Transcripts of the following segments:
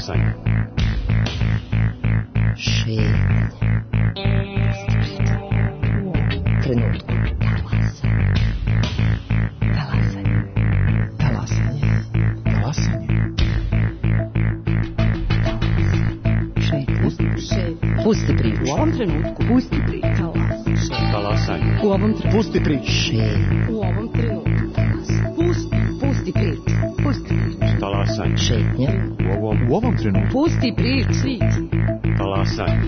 Talasanje. Šetnja. Trenutku. Talasanje. Talasanje. Talasanje. Šetnja. Pusti priču. U ovom trenutku. Pusti priču. Talasanje. U ovom trenutku. Pusti priču. Šetnja. U ovom trenutku. Pusti priču. Pusti priču. Talasanje. Šetnja. U ovom trenutku. Pusti priču. Talasanje.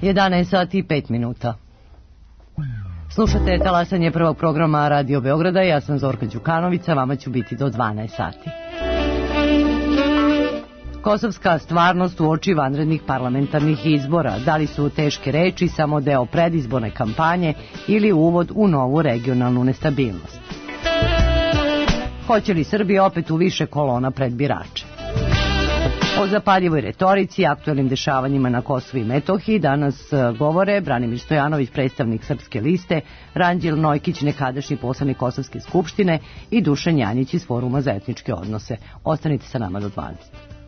Jedanaest sati i 5 minuta. Slušate talasanje prvog programa Radio Beograda, ja sam Zorka Đukanovića, vama ću biti do 12 sati. Kosovska stvarnost uoči vanrednih parlamentarnih izbora, da li su teške reči samo deo predizborne kampanje ili uvod u novu regionalnu nestabilnost? Hoće li Srbija opet u više kolona pred birače? O zapaljivoj retorici i aktuelnim dešavanjima na Kosovu i Metohiji danas govore Branimir Stojanović, predstavnik Srpske liste, Ranđel Nojkić, nekadašnji poslanik Kosovske skupštine i Dušan Janjić iz Foruma za etničke odnose. Ostanite sa nama do 12.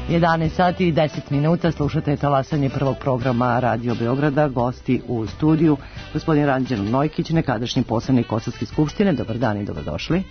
11 sati i 10 minuta, slušate talasanje prvog programa Radio Beograda. Gosti u studiju gospodin Ranđel Nojkić, nekadašnji poslanik Kosovske skupštine. Dobar dan i dobrodošli.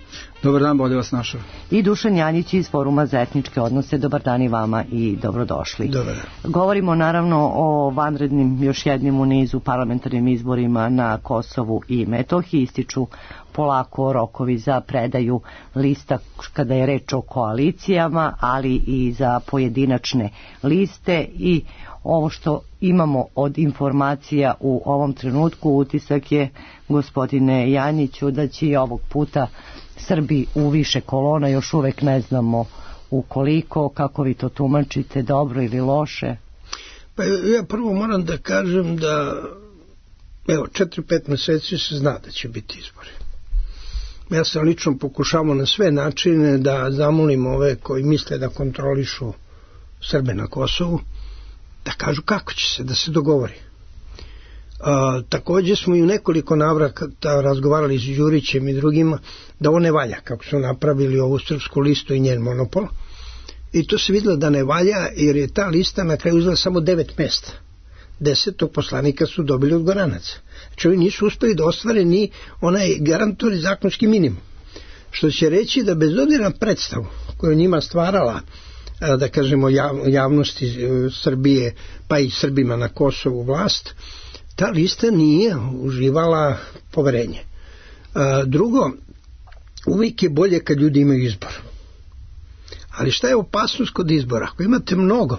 Dobar dan, bolje vas našao. I Dušan Janjić iz Foruma za etničke odnose. Dobar dan i vama i dobrodošli. Dobar dan. Govorimo naravno o vanrednim još jednim u nizu parlamentarnim izborima na Kosovu i Metohiji. Ističu polako rokovi za predaju lista kada je reč o koalicijama, ali i za pojedinačne liste. I ovo što imamo od informacija u ovom trenutku, utisak je, gospodine Janjiću, da će i ovog puta Srbi u više kolona, još uvek ne znamo ukoliko. Kako vi to tumačite, dobro ili loše? Pa ja prvo moram da kažem da 4-5 meseci se zna da će biti izbori. Ja sam lično pokušavao na sve načine da zamolim ove koji misle da kontrolišu Srbe na Kosovu, da kažu kako će se, da se dogovori. Također smo i u nekoliko navrata razgovarali s Đurićem i drugima da ovo ne valja, kako su napravili ovu srpsku listu i njen monopol. I to se vidjelo da ne valja, jer je ta lista na kraju uzela samo 9 mesta. 10 poslanika su dobili od Goranaca. Znači oni nisu uspeli da ostvare ni onaj garantori zakonski minimum. Što će reći da bez obzira na predstavu koju njima stvarala, da kažemo, javnosti Srbije, pa i Srbima na Kosovu vlast, ta lista nije uživala poverenje. Drugo, uvijek je bolje kad ljudi imaju izbor. Ali šta je opasnost kod izbora? Ako imate mnogo,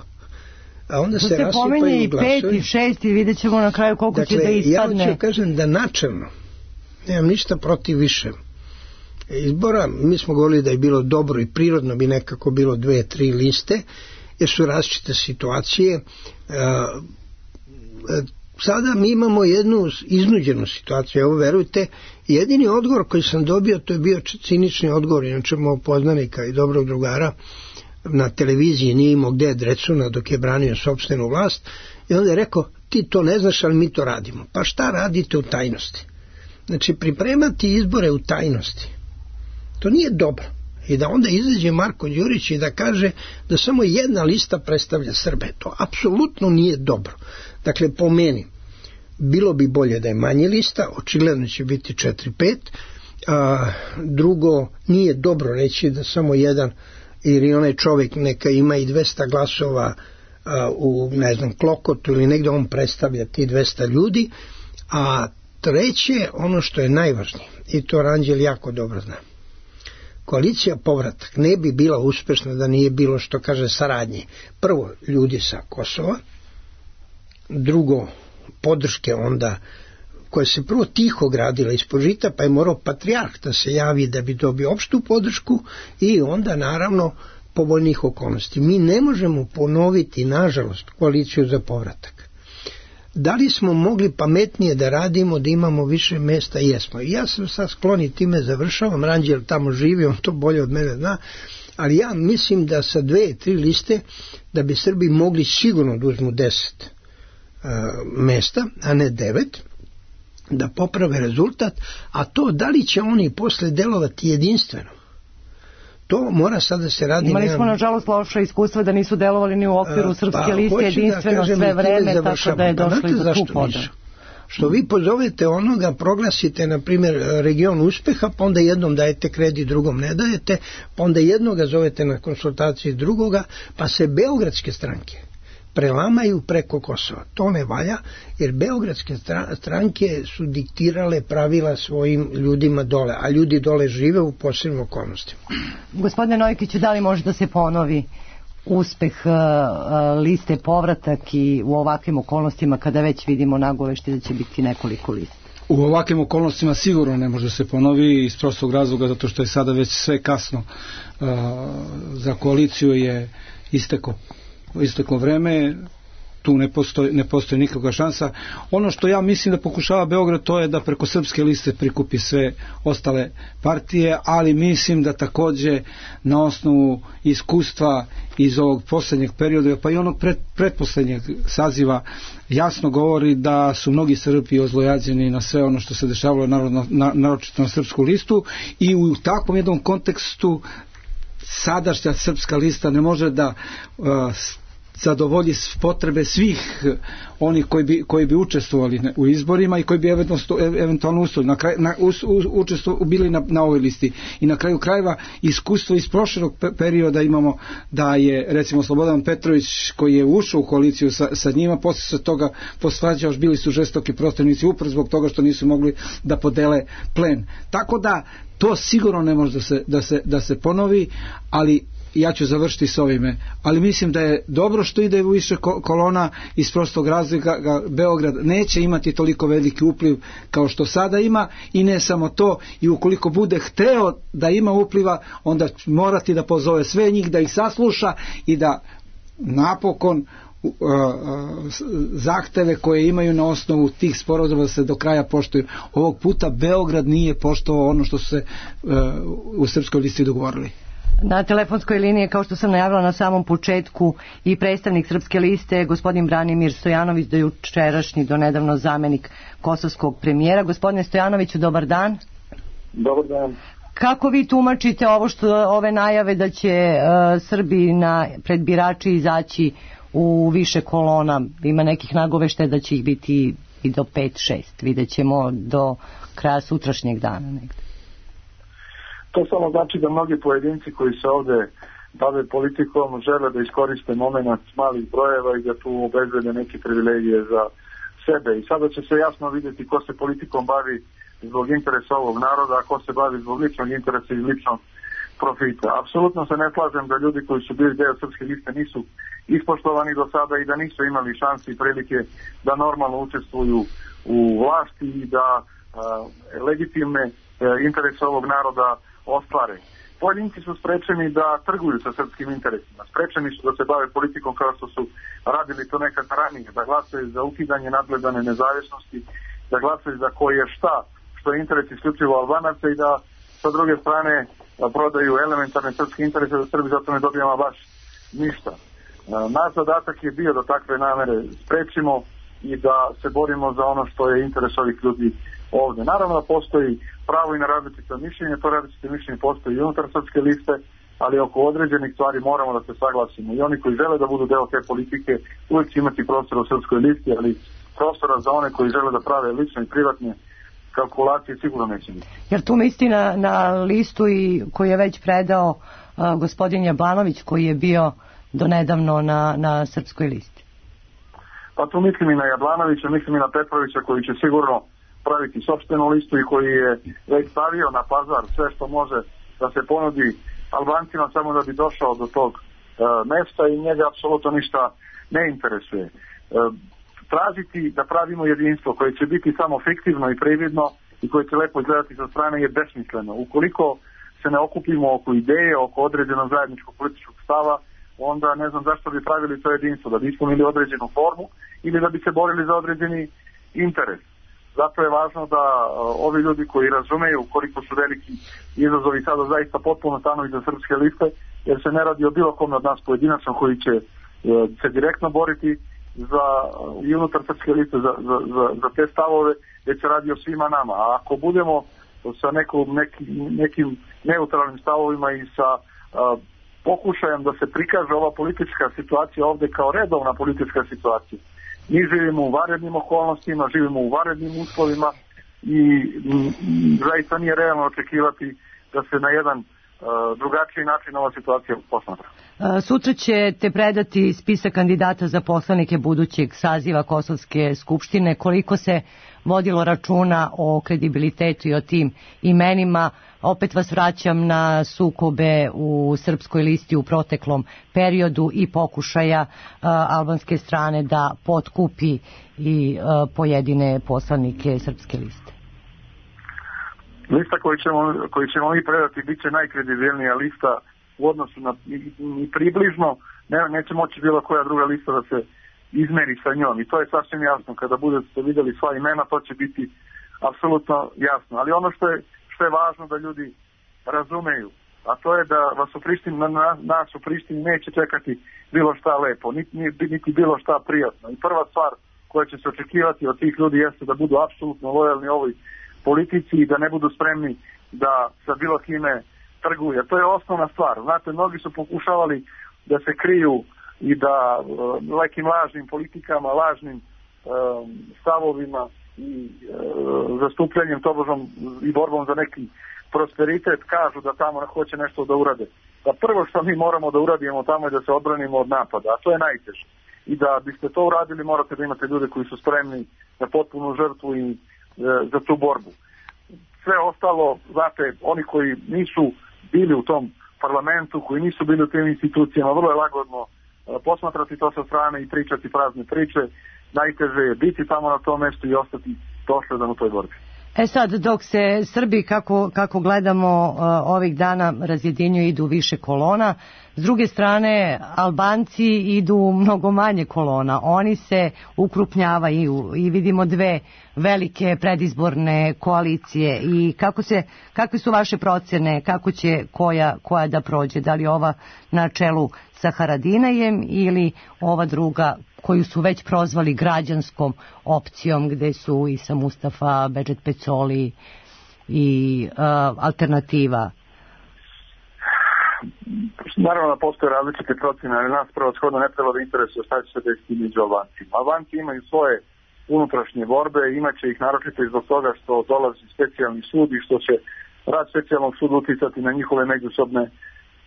a onda se rasipaju i glasovi. 5 i 6 i vidjet ćemo na kraju koliko će da ispadne. Ja ću kažem da načelno nemam ništa protiv više izbora. Mi smo govorili da je bilo dobro i prirodno bi nekako bilo 2-3 liste, jer su različite situacije. Sada mi imamo jednu iznuđenu situaciju. Evo, verujte, jedini odgovor koji sam dobio, to je bio cinični odgovor, inače mojeg poznanika i dobrog drugara, na televiziji nije imao gde Drecuna dok je branio sopstvenu vlast, i onda je rekao, ti to ne znaš, ali mi to radimo. Pa šta radite u tajnosti? Znači, pripremati izbore u tajnosti, to nije dobro. I da onda izađe Marko Đurić i da kaže da samo jedna lista predstavlja Srbe, to apsolutno nije dobro. Dakle, po meni, bilo bi bolje da je manje lista, očigledno će biti 4-5, drugo, nije dobro reći da samo jedan, jer i onaj čovjek neka ima i 200 glasova u, ne znam, Klokotu ili negdje, on predstavlja ti 200 ljudi. A treće, ono što je najvažnije, i to Ranđel jako dobro zna, koalicija povratak ne bi bila uspešna da nije bilo, što kaže, saradnje. Prvo, ljudi sa Kosova, drugo, podrške onda koja se prvo tiho gradila ispod žita, pa je morao patrijarh da se javi da bi dobio opštu podršku, i onda naravno povoljnih okolnosti. Mi ne možemo ponoviti, nažalost, koaliciju za povratak. Da li smo mogli pametnije da radimo, da imamo više mesta? Jesmo. I ja sam sad skloni, time završavam, Ranđel tamo živi, on to bolje od mene zna, ali ja mislim da sa 2-3 liste da bi Srbi mogli sigurno da uzmu 10 mesta, a ne 9, da poprave rezultat, a to da li će oni posle delovati jedinstveno, to mora sad da se radi. Imali smo nažalost loše iskustva da nisu delovali ni u okviru srpske liste jedinstveno sve vreme, tako da je došli do tu podelu. Što vi pozovete onoga, proglasite na primjer region uspeha, pa onda jednom dajete kredit, drugom ne dajete, pa onda jednoga zovete na konsultaciji drugoga, pa se beogradske stranke prelamaju preko Kosova. To ne valja, jer beogradske stranke su diktirale pravila svojim ljudima dole, a ljudi dole žive u posebnim okolnostima. Gospodine Nojkiću, da li može da se ponovi uspeh liste povratak i u ovakvim okolnostima kada već vidimo nagovešti da će biti nekoliko lista? U ovakvim okolnostima sigurno ne može se ponovi, iz prostog razloga zato što je sada već sve kasno. Za koaliciju je isteklo vreme, tu ne postoji nikakva šansa. Ono što ja mislim da pokušava Beograd, to je da preko srpske liste prikupi sve ostale partije, ali mislim da takođe na osnovu iskustva iz ovog poslednjeg perioda, pa i onog pretposlednjeg saziva, jasno govori da su mnogi Srbi ozlojađeni na sve ono što se dešavalo naročito na srpsku listu, i u takvom jednom kontekstu sadašnja Srpska lista ne može da zadovolji potrebe svih onih koji bi učestvovali u izborima i koji bi eventualno bili na ovoj listi. I na kraju krajeva iskustvo iz prošlog perioda imamo da je recimo Slobodan Petrović koji je ušao u koaliciju sa njima, posle se toga posvađao, bili su žestoki protivnici upravo zbog toga što nisu mogli da podele plen. Tako da to sigurno ne može da se ponovi, ali ja ću završiti s ovime, ali mislim da je dobro što ide u više kolona iz prostog razloga. Beograd neće imati toliko veliki upliv kao što sada ima, i ne samo to, i ukoliko bude hteo da ima upliva, onda morati da pozove sve njih, da ih sasluša i da napokon zahteve koje imaju na osnovu tih sporazuma se do kraja poštuju. Ovog puta Beograd nije poštovao ono što su se u Srpskoj listi dogovorili. Na telefonskoj liniji, kao što sam najavila na samom početku, i predstavnik Srpske liste, gospodin Branimir Stojanović, do jučerašnji, do nedavno zamenik kosovskog premijera. Gospodine Stojanoviću, dobar dan. Dobar dan. Kako vi tumačite ove najave da će Srbi pred birači izaći u više kolona? Ima nekih nagoveštaja da će ih biti i do 5-6. Vidjet ćemo do kraja sutrašnjeg dana negde. To samo znači da mnogi pojedinci koji se ovde bave politikom žele da iskoriste moment malih brojeva i da tu obezbede neke privilegije za sebe. I sada će se jasno vidjeti ko se politikom bavi zbog interesa ovog naroda, a ko se bavi zbog ličnog interesa i ličnog profita. Apsolutno se ne slažem da ljudi koji su bili deo Srpske liste nisu ispoštovani do sada i da nisu imali šanse i prilike da normalno učestvuju u vlasti i da legitimne interese ovog naroda ostvare. Pojedinci su sprečeni da trguju sa srpskim interesima, sprečeni su da se bave politikom kao što su radili to nekad ranije, da glasaju za ukidanje nadgledane nezavisnosti, da glasaju za koje šta, što je interes isključivo Albanaca i da sa druge strane prodaju elementarne srpske interese da Srbi zato ne dobijamo baš ništa. Naš zadatak je bio da takve namere sprečimo i da se borimo za ono što je interes ovih ljudi ovde. Naravno da postoji pravo i na različite mišljenje, to različite mišljenje postoji i unutar Srpske liste, ali oko određenih stvari moramo da se saglasimo. I oni koji žele da budu deo te politike uvijek će imati prostora u Srpskoj listi, ali prostora za one koji žele da prave lične i privatne kalkulacije sigurno neće biti. Jer tu misli na listu i koju je već predao gospodin Jablanović, koji je bio donedavno na Srpskoj listi? Pa tu mislim i na Jablanovića, mislim i na Petrovića koji će sigurno praviti sopstvenu listu i koji je već stavio na pazar sve što može da se ponudi Albancima samo da bi došao do tog mesta i njega apsolutno ništa ne interesuje. Tražiti da pravimo jedinstvo koje će biti samo fiktivno i prividno i koje će lepo izgledati sa strane je besmisleno. Ukoliko se ne okupimo oko ideje, oko određenog zajedničkog političkog stava, onda ne znam zašto bi pravili to jedinstvo, da bi ispunili određenu formu ili da bi se borili za određeni interes. Zato je važno da ovi ljudi koji razumeju koliko su veliki izazovi sada zaista potpuno stanu iza Srpske liste, jer se ne radi o bilo kome od nas pojedinačno koji će se direktno boriti i unutar Srpske liste za te stavove, već se radi o svima nama. A ako budemo sa nekim neutralnim stavovima i sa pokušajem da se prikaže ova politička situacija ovde kao redovna politička situacija, mi živimo u vanrednim okolnostima, živimo u vanrednim uslovima i zaista nije realno očekivati da se na jedan drugačiji način ova situacija posmatra. Sutra ćete predati spisak kandidata za poslanike budućeg saziva Kosovske skupštine. Koliko se vodilo računa o kredibilitetu i o tim imenima? Opet vas vraćam na sukobe u Srpskoj listi u proteklom periodu i pokušaja albanske strane da potkupi i pojedine poslanike Srpske liste. Lista koju ćemo mi predati bit će najkredibilnija lista u odnosu na i približno, neće moći bilo koja druga lista da se izmeri sa njom i to je sasvim jasno. Kada budete vidjeli sva imena, to će biti apsolutno jasno. Ali ono što je važno da ljudi razumeju, a to je da vas u Prištini, nas u Prištini neće čekati bilo šta lepo, niti bilo šta prijatno. I prva stvar koja će se očekivati od tih ljudi jeste da budu apsolutno lojalni ovoj politici i da ne budu spremni da sa bilo kime trguje. To je osnovna stvar. Znate, mnogi su pokušavali da se kriju i da nekim lažnim politikama, lažnim stavovima i zastupljanjem tobožom i borbom za neki prosperitet kažu da tamo hoće nešto da urade. Da prvo što mi moramo da uradimo tamo je da se odbranimo od napada, a to je najteže. I da biste to uradili morate da imate ljude koji su spremni na potpunu žrtvu i za tu borbu. Sve ostalo, znate, oni koji nisu bili u tom parlamentu, koji nisu bili u tim institucijama, vrlo je lagodno posmatrati to sa strane i pričati prazne priče. Najteže je biti tamo na tom mjestu i ostati dosledan u toj borbi. Sad, dok se Srbi, kako gledamo ovih dana, razjedinjuju, idu više kolona, s druge strane Albanci idu mnogo manje kolona. Oni se ukrupnjavaju i vidimo dve velike predizborne koalicije. I kakve su vaše procjene, kako će koja da prođe? Da li ova na čelu sa Haradinajem ili ova druga koju su već prozvali građanskom opcijom, gde su i sa Mustafa Bedžet Pecoli i Alternativa? Naravno da postoje različite procjene, ali nas prevashodno ne treba da interesuje šta će se desiti među Albancima. Albanci imaju svoje unutrašnje borbe, imaće ih naročito i zbog toga što dolazi specijalni sud i što će rad specijalnog suda uticati na njihove međusobne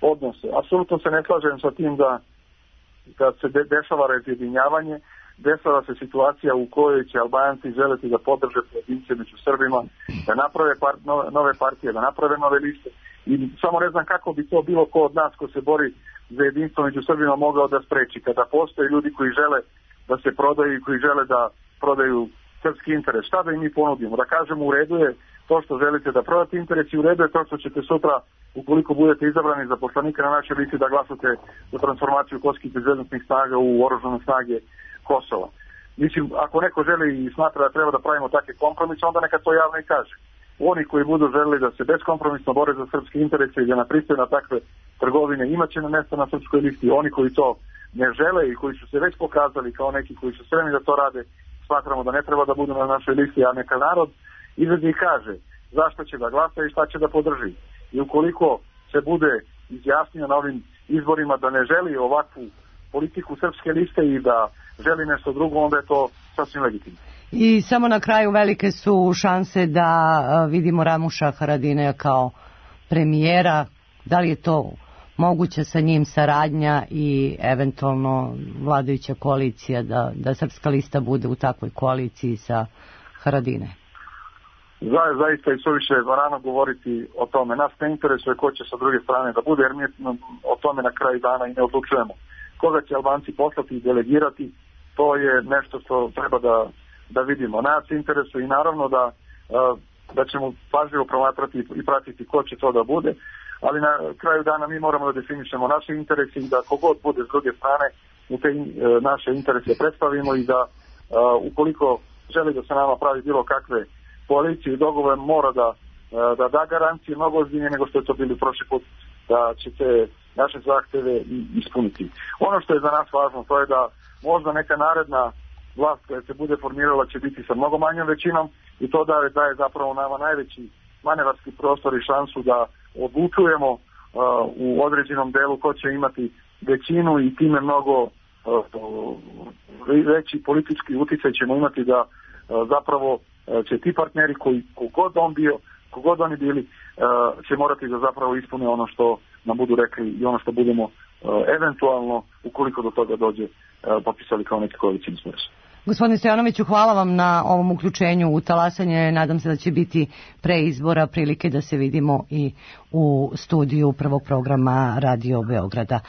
odnose. Apsolutno se ne slažem sa tim da se dešava razjedinjavanje, dešava se situacija u kojoj će Albanci želeti da podrže pojedince među Srbima, da naprave nove partije, da naprave nove liste. I samo ne znam kako bi to bilo ko od nas ko se bori za jedinstvo među Srbima mogao da spreči. Kada postoje ljudi koji žele da se prodaju i koji žele da prodaju srpski interes, šta da im mi ponudimo? Da kažemo u redu je to što želite da prodate interes i u redu je to što ćete sutra, ukoliko budete izabrani za poslanika na našoj listi, da glasate za transformaciju kosovskih bezbednosnih snaga u oružane snage Kosova. Mislim, ako neko želi i smatra da treba da pravimo takve kompromise, onda neka to javno i kaže. Oni koji budu želeli da se beskompromisno bore za srpske interese i da napristaju na takve trgovine, imaće na mjesto na srpskoj listi. Oni koji to ne žele i koji su se već pokazali kao neki koji su spremni da to rade, smatramo da ne treba da budu na našoj listi, a neka narod izađe i kaže zašto će da glasa i šta će da podrži. I ukoliko se bude izjasnio na ovim izborima da ne želi ovakvu politiku srpske liste i da želi nešto drugo, onda je to sasvim legitimno. I samo na kraju, velike su šanse da vidimo Ramuša Haradinaja kao premijera. Da li je to moguća sa njim saradnja i eventualno vladajuća koalicija, da srpska lista bude u takvoj koaliciji sa Haradinajem? Zaista i suviše rano govoriti o tome. Nas ne interesuje ko će sa druge strane da bude, jer mi o tome na kraju dana i ne odlučujemo. Koga će Albanci poslati i delegirati, to je nešto što treba da vidimo. Nas interesuje i naravno da ćemo pažljivo promatrati i pratiti ko će to da bude, ali na kraju dana mi moramo da definišemo naše interese i da kogod bude s druge strane u te naše interese predstavimo i da ukoliko želi da se nama pravi bilo kakve koalicije i dogovore, mora da garancije mnogo ozbiljnije nego što je to bili prošli put, da će te naše zahteve ispuniti. Ono što je za nas važno, to je da možda neka naredna vlast koja se bude formirala će biti sa mnogo manjom većinom i to daje zapravo nama najveći manevarski prostor i šansu da odlučujemo u određenom delu ko će imati većinu i time mnogo veći politički uticaj ćemo imati da zapravo će ti partneri koji kogod oni bili će morati da zapravo ispune ono što nam budu rekli i ono što budemo eventualno, ukoliko do toga dođe, popisali kao neki koalicijni sporazum. Gospodine Stojanoviću, hvala vam na ovom uključenju u talasanje. Nadam se da će biti pre izbora prilike da se vidimo i u studiju prvog programa Radio Beograda.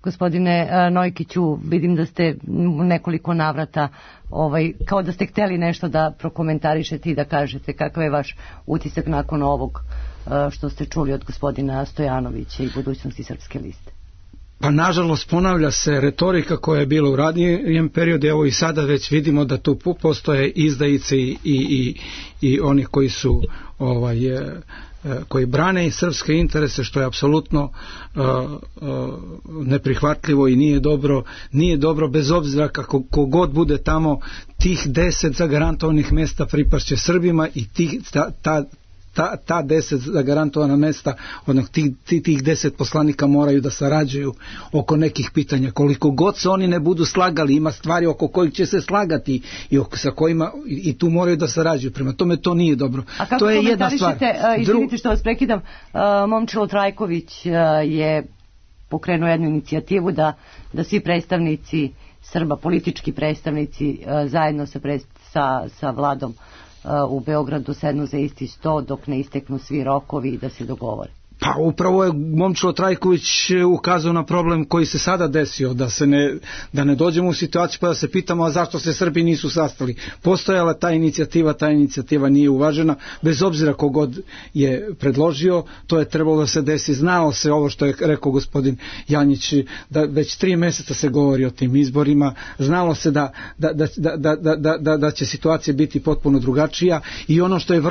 Gospodine Nojkiću, vidim da ste nekoliko navrata kao da ste hteli nešto da prokomentarišete i da kažete kakav je vaš utisak nakon ovog što ste čuli od gospodina Stojanovića i budućnosti Srpske liste. Pa nažalost ponavlja se retorika koja je bila u ranijem periodu, evo i sada već vidimo da tu postoje izdajice i oni koji su koji brane i srpske interese, što je apsolutno neprihvatljivo i nije dobro bez obzira kako kogod bude tamo, tih 10 zagarantovanih mjesta pripašće Srbima i ta 10 zagarantovana mesta, tih 10 poslanika moraju da sarađuju oko nekih pitanja. Koliko god se oni ne budu slagali, ima stvari oko kojih će se slagati sa kojima i tu moraju da sarađuju. Prema tome to nije dobro. A kako to je jedna stvar. Izvinite što vas prekidam, Momčilo Trajković je pokrenuo jednu inicijativu da svi predstavnici Srba, politički predstavnici zajedno sa vladom u Beogradu sednu za isti sto dok ne isteknu svi rokovi i da se dogovore. Pa upravo je Momčilo Trajković ukazao na problem koji se sada desio, da ne dođemo u situaciju pa da se pitamo a zašto se Srbi nisu sastali. Postojala ta inicijativa nije uvažena, bez obzira kogod je predložio, to je trebalo da se desi. Znalo se ovo što je rekao gospodin Janjić, da već 3 meseca se govori o tim izborima, znalo se da će situacija biti potpuno drugačija i ono što je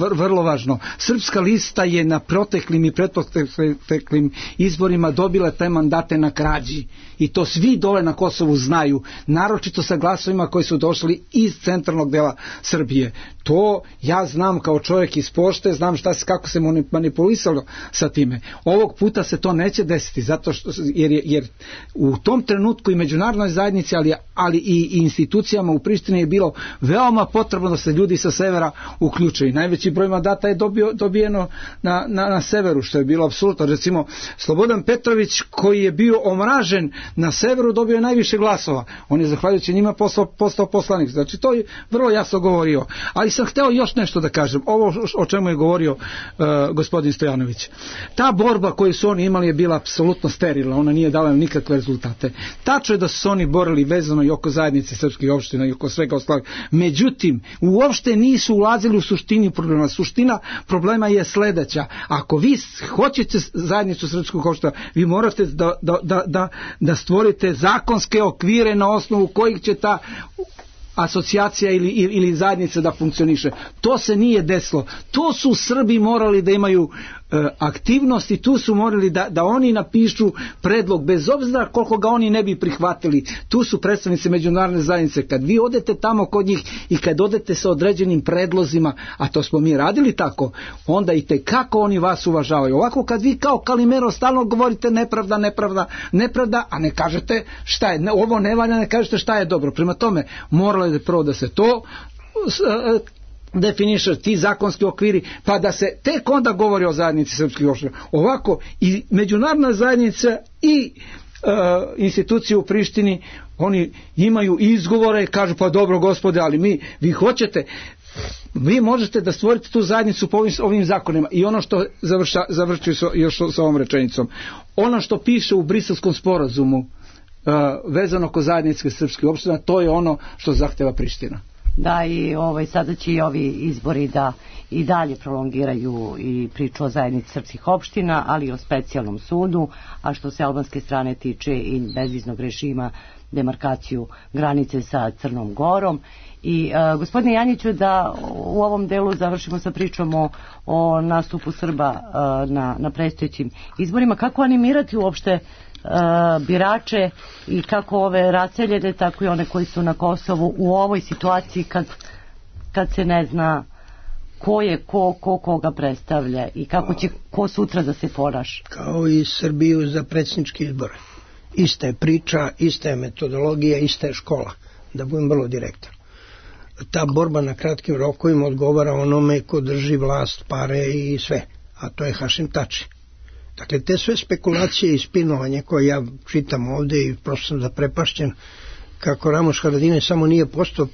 vrlo važno, Srpska lista je na proteklim i pretproteklim izborima dobila te mandate na krađi i to svi dole na Kosovu znaju, naročito sa glasovima koji su došli iz centralnog dela Srbije. To ja znam kao čovjek iz pošte, znam kako se manipulisalo sa time. Ovog puta se to neće desiti zato što, jer u tom trenutku i međunarodnoj zajednici, ali i institucijama u Prištini je bilo veoma potrebno da se ljudi sa severa uključuju. Najveći broj mandata je dobijeno na severu, što je bilo apsolutno. Recimo, Slobodan Petrović koji je bio omražen na severu dobio je najviše glasova. On je zahvaljujući njima postao poslanik. Znači, to je vrlo jasno govorio. Ali sam hteo još nešto da kažem. Ovo o čemu je govorio gospodin Stojanović. Ta borba koju su oni imali je bila apsolutno sterilna. Ona nije dala nikakve rezultate. Tačno je da su se oni borili vezano i oko zajednice srpskih opština i oko svega ostalog. Međutim, uopšte nisu ulazili u suštini problema. Suština problema je sledeća. Ako vi hoćete zajednicu srpskog opština, vi morate da stvorite zakonske okvire na osnovu kojih će ta asocijacija ili zajednica da funkcioniše. To se nije desilo. To su Srbi morali da imaju aktivnosti, tu su morali da oni napišu predlog, bez obzira koliko ga oni ne bi prihvatili. Tu su predstavnici međunarodne zajednice. Kad vi odete tamo kod njih i kad odete sa određenim predlozima, a to smo mi radili tako, onda i tekako oni vas uvažavaju. Ovako kad vi kao Kalimero stalno govorite nepravda, a ne kažete šta je, ovo ne valja, ne kažete šta je dobro. Prema tome, moralo je prvo da se to definiše, ti zakonski okviri, pa da se tek onda govori o zajednici srpskih opština. Ovako i međunarodna zajednica i institucije u Prištini, oni imaju izgovore, kažu pa dobro gospode, ali vi hoćete, vi možete da stvorite tu zajednicu po ovim zakonima. I ono što završuju još sa ovom rečenicom, ono što piše u Briselskom sporazumu vezano oko zajedničke srpske opštine, to je ono što zahteva Priština. Da, i sada će i ovi izbori da i dalje prolongiraju i priču o zajednici srpskih opština, ali i o specijalnom sudu, a što se albanske strane tiče i bezviznog režima, demarkaciju granice sa Crnom Gorom. I gospodine Janjiću, da u ovom delu završimo sa pričom o nastupu Srba na predstojećim izborima. Kako animirati uopšte birače i kako ove raseljene, tako i one koji su na Kosovu u ovoj situaciji kad se ne zna ko je koga predstavlja i kako će ko sutra da se ponaša. Kao i Srbiju za predsjedničke izbore. Ista je priča, ista je metodologija, ista je škola. Da budem vrlo direktan. Ta borba na kratkim rokovima odgovara onome ko drži vlast, pare i sve. A to je Hašim Tači. Dakle, te sve spekulacije i spinovanje koje ja čitam ovde i prosto sam zaprepašćen kako Ramoš Haradinaj samo nije postao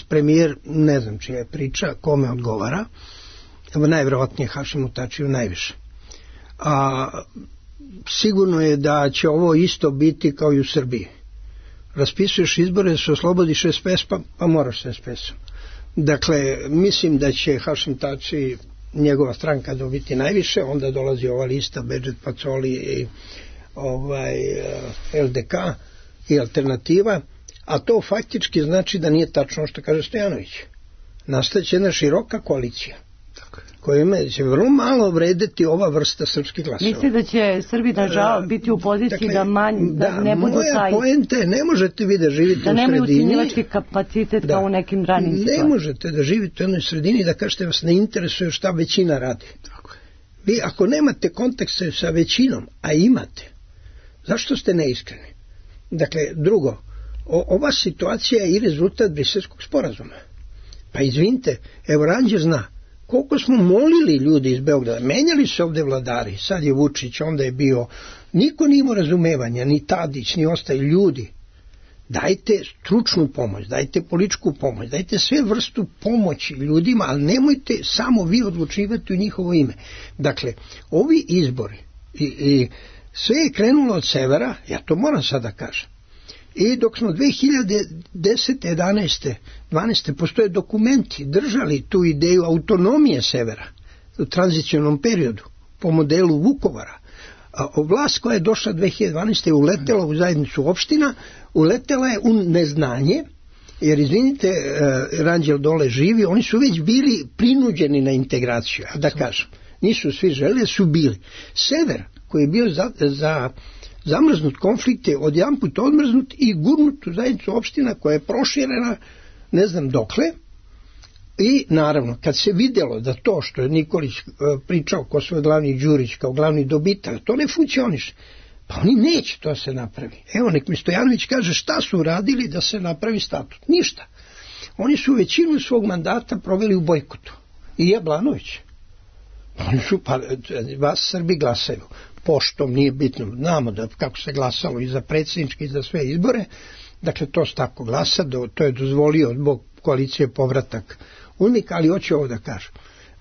premijer, ne znam čija je priča, kome odgovara, najvjerovatnije Hašimu Tačiju najviše. A sigurno je da će ovo isto biti kao i u Srbiji. Raspisuješ izbore da se oslobodiš SPS, pa moraš se SPS-om. Dakle, mislim da će Hašim Tači, njegova stranka, dobiti najviše, onda dolazi ova lista Bedžet Pacoli i LDK i Alternativa, a to faktički znači da nije tačno što kaže Stojanović. Nastaće jedna široka koalicija kojima će vrlo malo vredeti ova vrsta srpskih glasova. Misli da će Srbi biti u poziciji da ne budu taj... Moja poenta je, ne možete vi da živite u sredini... Da nemaju ucjenjivački kapacitet kao u nekim ranim situacijama. Ne možete da živite u jednoj sredini i da kažete vas ne interesuje šta većina radi. Vi ako nemate kontekste sa većinom, a imate, zašto ste neiskreni? Dakle, drugo, ova situacija je i rezultat Briselskog sporazuma. Pa izvinite, evo Ranđer zna, koliko smo molili ljudi iz Beograda, menjali se ovde vladari, sad je Vučić, onda je bio, niko nije imao razumevanja, ni Tadić, ni ostali ljudi. Dajte stručnu pomoć, dajte političku pomoć, dajte sve vrstu pomoći ljudima, ali nemojte samo vi odlučivati u njihovo ime. Dakle, ovi izbori i sve je krenulo od severa, ja to moram sada kažem. I dok smo 2010. 11. 12. postoje dokumenti držali tu ideju autonomije severa u tranzicionom periodu po modelu Vukovara. A vlast koja je došla 2012. je uletela u zajednicu opština, uletela je u neznanje, jer izvinite, Ranđel dole živi, oni su već bili prinuđeni na integraciju, da kažem. Nisu svi želeli, su bili. Sever, koji je bio za zamrznut konflikt, je odjedanput odmrznut i gurnut u zajednicu opština koja je proširena ne znam dokle. I naravno, kad se vidjelo da to što je Nikolić pričao ko svoj glavni Đurić kao glavni dobitak, to ne funkcioniše, pa oni neće to se napravi. Evo, nek mi Stojanović kaže šta su radili da se napravi statut. Ništa. Oni su većinu svog mandata proveli u bojkotu. I Jablanović. Oni su, pa vas Srbi glasaju poštom, nije bitno, znamo da kako se glasalo i za predsjedničke i za sve izbore, dakle to se tako glasa, to je dozvolio zbog koalicije povratak UNMIK, ali hoću ovo da kažem.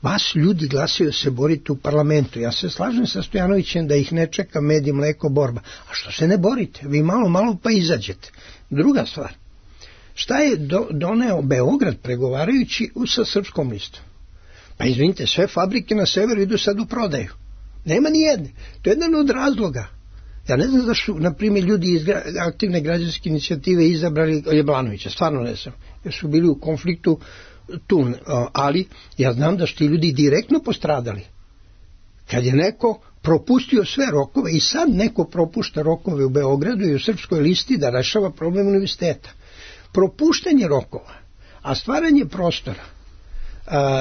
Vas ljudi glasaju da se borite u parlamentu. Ja se slažem sa Stojanovićem da ih ne čeka med i mleko borba. A što se ne borite? Vi malo pa izađete. Druga stvar. Šta je doneo Beograd pregovarajući sa Srpskom listom? Pa izvinite, sve fabrike na severu idu sad u prodaju. Nema ni jedne. To je jedan od razloga. Ja ne znam zašto, na primjer, ljudi iz aktivne građanske inicijative izabrali Jablanovića. Stvarno ne znam. Jer su bili u konfliktu tu. Ali ja znam da su ti ljudi direktno postradali. Kad je neko propustio sve rokove i sad neko propušta rokove u Beogradu i u Srpskoj listi da rešava problem univerziteta. Propuštanje rokova, a stvaranje prostora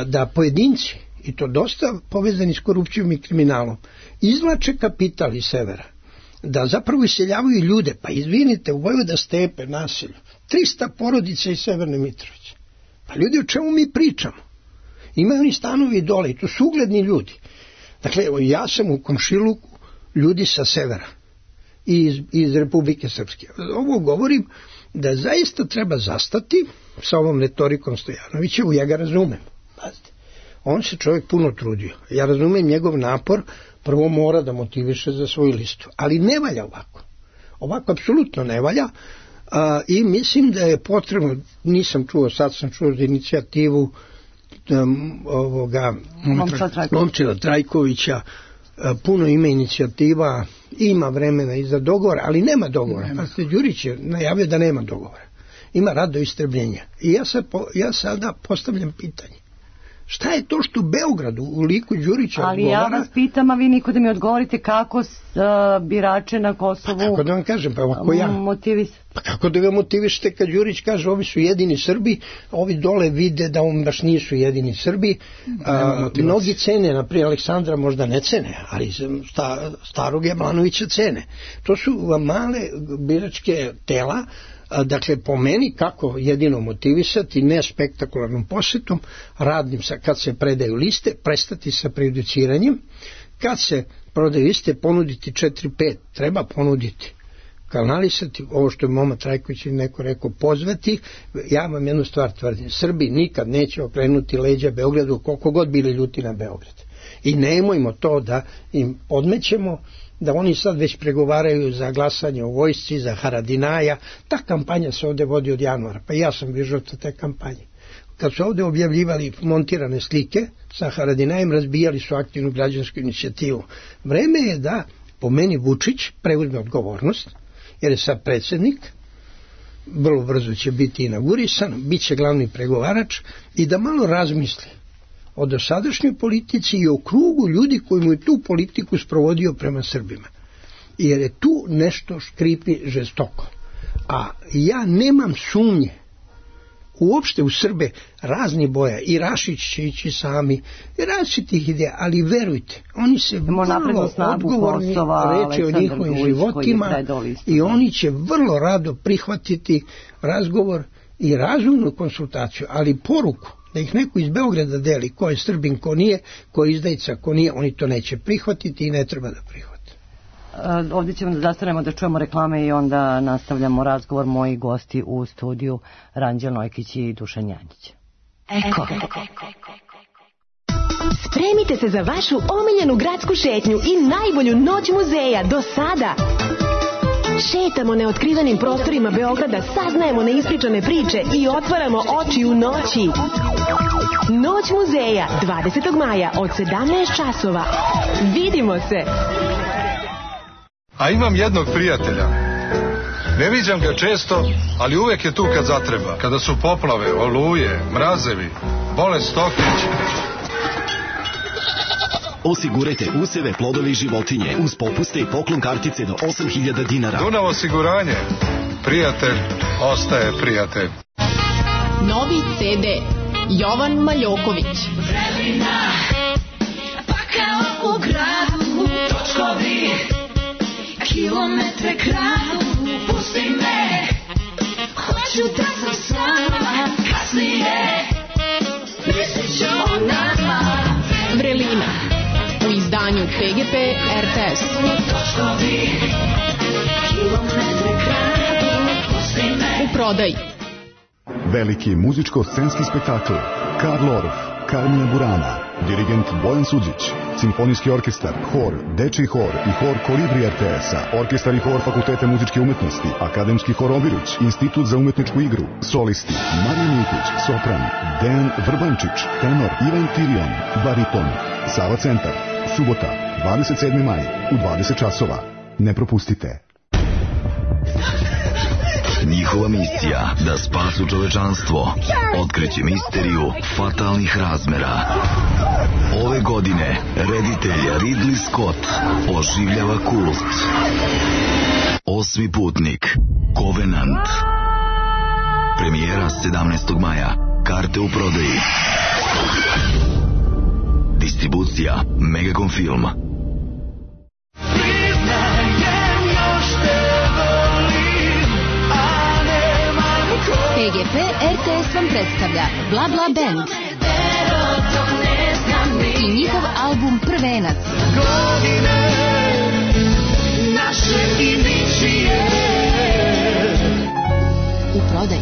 da pojedinci, i to dosta povezani s korupcijom i kriminalom, izvlače kapital iz severa, da zapravo iseljavaju ljude. Pa izvinite, u Vojvoda Stepe naselju 300 porodica iz Severne Mitrovice. Pa ljudi, o čemu mi pričamo? Imaju oni stanovi dole i to su ugledni ljudi. Dakle, ja sam u komšiluku ljudi sa severa i iz Republike Srpske. Ovo govorim da zaista treba zastati sa ovom retorikom Stojanovićevu, ja ga razumem. Pazite, on se čovjek puno trudio. Ja razumem njegov napor, prvo mora da motiviše za svoju listu. Ali ne valja ovako. Ovako apsolutno ne valja i mislim da je potrebno, nisam čuo, sad sam čuo za inicijativu Momčila Trajkovića, puno ima inicijativa, ima vremena i za dogovor, ali nema dogovora. Pa Đurić je najavio da nema dogovora. Ima rad do istrebljenja. I ja sada postavljam pitanje. Šta je to što u Beogradu u liku Đurića ali odgovara? Ja vas pitam, a vi niko da mi odgovorite kako birače na Kosovu pa kako da vam kažem, pa ako ja motivisate? Pa kako da ga motivišete kad Đurić kaže ovi su jedini Srbi, ovi dole vide da on baš nisu jedini Srbi. Mnogi cene, naprijed Aleksandra možda ne cene, ali starog Jablanovića cene. To su male biračke tela. Dakle, po meni kako jedino motivisati, ne spektakularnom posjetom, radnim kad se predaju liste, prestati sa prejudiciranjem, kad se prodaju liste, ponuditi 4-5, treba ponuditi, kanalisati, ovo što je Moma Trajković neko rekao, pozvati. Ja vam jednu stvar tvrdim, Srbi nikad neće okrenuti leđa Beogradu koliko god bili ljuti na Beograd. I nemojmo to da im podmećemo, da oni sad već pregovaraju za glasanje u vojsci, za Haradinaja. Ta kampanja se ovdje vodi od januara, pa ja sam bio žrtva te kampanje. Kad su ovdje objavljivali montirane slike sa Haradinajem, razbijali su aktivnu građansku inicijativu. Vreme je da, po meni, Vučić preuzme odgovornost, jer je sad predsjednik, vrlo brzo će biti inaugurisan, bit će glavni pregovarač i da malo razmisli o dosadašnjoj politici i o krugu ljudi koji mu je tu politiku sprovodio prema Srbima. Jer je tu nešto škripi žestoko. A ja nemam sumnje uopšte u Srbe raznih boja, i Rašić će ići sami, različitih ideja, ali verujte, oni se vrlo odgovorni reče o njihovim životima i oni će vrlo rado prihvatiti razgovor i razumnu konsultaciju, ali poruku da ih neko iz Beograda deli ko je Srbin, ko nije, ko je izdajica, ko nije, oni to neće prihvatiti i ne treba da prihvate. Ovdje ćemo da zastanemo da čujemo reklame i onda nastavljamo razgovor. Moji gosti u studiju Ranđel Nojkić i Dušan Janjić. Eko. Spremite se za vašu omiljenu gradsku šetnju i najbolju noć muzeja do sada. Šetamo neotkrivenim prostorima Beograda, saznajemo neispričane priče i otvaramo oči u noći. Noć muzeja 20. maja od 17 časova. Vidimo se! A imam jednog prijatelja. Ne viđam ga često, ali uvek je tu kad zatreba. Kada su poplave, oluje, mrazevi, bolest stokić. Osigurajte useve, plodove i životinje uz popuste i poklon kartice do 8.000 dinara. Dunav osiguranje. Prijatelj ostaje prijatelj. Novi CD Jovan Maljoković. Vremena, pa kao u gradu, točkovi, kilometre kradu, pusti me, hoću da sam sama, kasnije, mislit ću o nama. Vrelina, u izdanju PGP RTS. Točkovi, kilometre kradu, pusti me. U prodaji. Veliki muzičko-scenski spektakl Karl Orff, Carmina Burana, dirigent Bojan Suđić, simfonijski orkestar, hor, dečiji hor i hor Kolibri RTS-a, orkestar i hor Fakulteta muzičke umetnosti, akademski hor Obiruć, institut za umetničku igru, solisti Marija Milkić, sopran, Dejan Vrbančić, tenor Ivan Tirion, bariton, Sava centar, subota, 27. maj, u 20 časova. Ne propustite. Njihova misija da spasu čovečanstvo, otkriće misteriju fatalnih razmera. Ove godine reditelj Ridley Scott oživljava kult. Osmi putnik, Covenant. Premijera 17. maja. Karte u prodaji. Distribucija Megacom Film. PGP RTS vam predstavlja Bla Bla Band i njihov album Prvenac. U prodaji.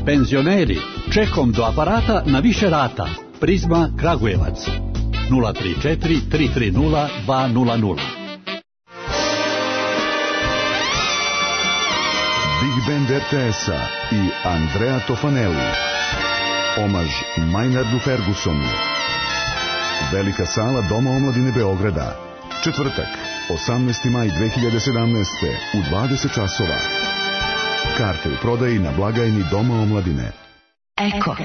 Penzioneri, čekom do aparata na više rata. Prizma Kragujevac 034 330 200. Big Band RTS-a i Andrea Tofanelli. Omaž Maynardu Fergusonu. Velika sala Doma omladine Beograda. Četvrtak, 18. maj 2017. u 20 časova. Karte u prodaji na blagajni Doma omladine. Eko.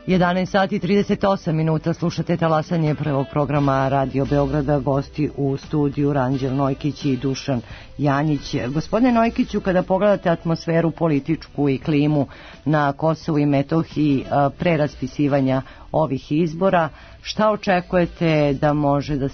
11 sati 38 minuta, slušate talasanje prvog programa Radio Beograda, gosti u studiju Ranđel Nojkić i Dušan Janjić. Gospodine Nojkiću, kada pogledate atmosferu političku i klimu na Kosovu i Metohiji pre raspisivanja ovih izbora, šta očekujete da može